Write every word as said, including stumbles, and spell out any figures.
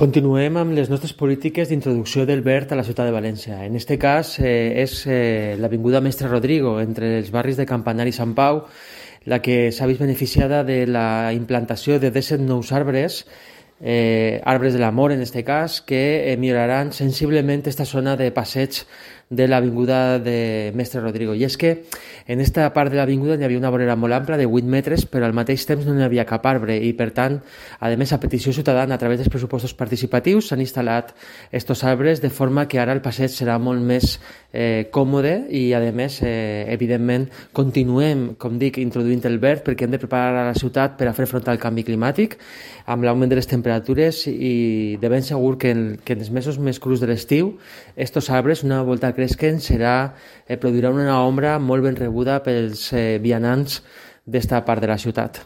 Continuem amb les nostres polítiques d'introducció del verd a la ciutat de València. En aquest cas eh, és eh, l'Avinguda Mestre Rodrigo, entre els barris de Campanar i Sant Pau, la que s'ha vist beneficiada de la implantació de disset nous arbres, eh, arbres de l'amor en aquest cas, que eh, milloraran sensiblement aquesta zona de passeig de l'Avinguda de Mestre Rodrigo. I és que en aquesta part de l'Avinguda hi havia una vorera molt ampla de vuit metres, però al mateix temps no hi havia cap arbre i, per tant, a més, a petició ciutadana, a través dels pressupostos participatius, s'han instal·lat estos arbres de forma que ara el passeig serà molt més eh, còmode i, a més, eh, evidentment, continuem, com dic, introduint el verd perquè hem de preparar la ciutat per a fer front al canvi climàtic amb l'augment de les temperatures i de ben segur que en, que en els mesos més crus de l'estiu estos arbres, una volta cresquen, serà, eh, produirà una ombra molt ben rebuda pels eh, vianants d'esta part de la ciutat.